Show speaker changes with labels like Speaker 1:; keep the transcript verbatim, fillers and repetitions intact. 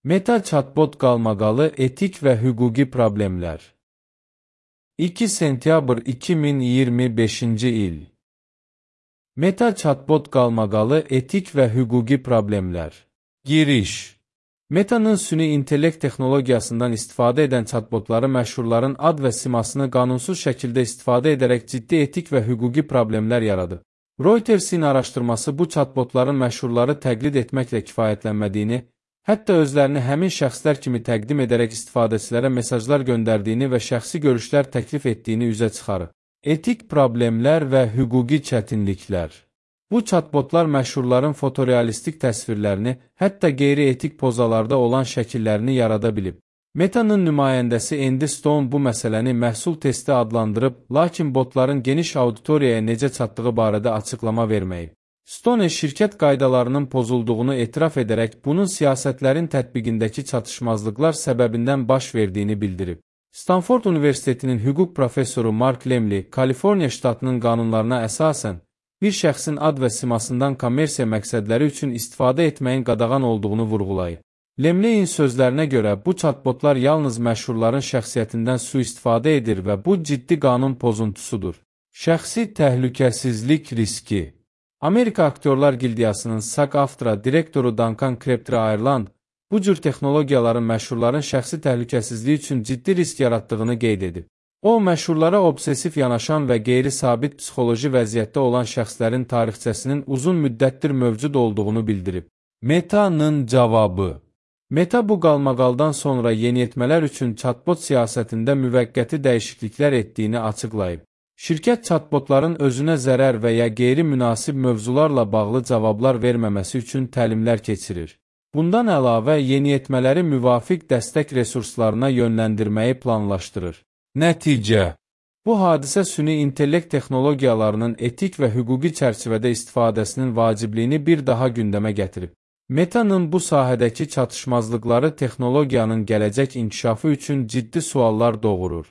Speaker 1: Meta chatbot qalmaqalı etik və hüquqi problemlər. iki sentyabr iki min iyirmi beşinci il. Meta chatbot qalmaqalı etik və hüquqi problemlər. Giriş. Meta'nın süni intellekt texnologiyasından istifadə edən chatbotları məşhurların ad və simasını qanunsuz şəkildə istifadə edərək ciddi etik və hüquqi problemlər yaradı. Reuters'in araşdırması bu chatbotların məşhurları təqlid etməklə kifayətlənmədiyini, hətta özlərini həmin şəxslər kimi təqdim edərək istifadəçilərə mesajlar göndərdiyini və şəxsi görüşlər təklif etdiyini üzə çıxarır. Etik problemlər və hüquqi çətinliklər. Bu chatbotlar məşhurların fotorealistik təsvirlərini, hətta qeyri-etik pozalarda olan şəkillərini yarada bilib. Meta'nın nümayəndəsi Andy Stone bu məsələni məhsul testi adlandırıb, lakin botların geniş auditoriyaya necə çatdığı barədə açıqlama verməyib. Stone şirkət qaydalarının pozulduğunu etiraf edərək, bunun siyasətlərin tətbiqindəki çatışmazlıqlar səbəbindən baş verdiyini bildirib. Stanford Universitetinin hüquq professoru Mark Lemley, Kaliforniya ştatının qanunlarına əsasən, bir şəxsin ad və simasından kommersiya məqsədləri üçün istifadə etməyin qadağan olduğunu vurğulayıb. Lemley'in sözlərinə görə, bu chatbotlar yalnız məşhurların şəxsiyyətindən sui-istifadə edir və bu ciddi qanun pozuntusudur. Şəxsi təhlükəsizlik riski. Amerika Aktyorlar Gildiyasının SAG-AFTRA direktoru Duncan Crabtree-Ireland bu cür texnologiyaların məşhurların şəxsi təhlükəsizliyi üçün ciddi risk yaratdığını qeyd edib. O, məşhurlara obsesif yanaşan və qeyri-sabit psixoloji vəziyyətdə olan şəxslərin tarixçəsinin uzun müddətdir mövcud olduğunu bildirib. Meta'nın cavabı. Meta bu qalmaqaldan sonra yeniyetmələr üçün chatbot siyasətində müvəqqəti dəyişikliklər etdiyini açıqlayıb. Şirkət chatbotların özünə zərər və ya qeyri-münasib mövzularla bağlı cavablar verməməsi üçün təlimlər keçirir. Bundan əlavə, yeniyetmələri müvafiq dəstək resurslarına yönləndirməyi planlaşdırır. Nəticə. Bu hadisə süni intellekt texnologiyalarının etik və hüquqi çərçivədə istifadəsinin vacibliyini bir daha gündəmə gətirib. Meta'nın bu sahədəki çatışmazlıqları texnologiyanın gələcək inkişafı üçün ciddi suallar doğurur.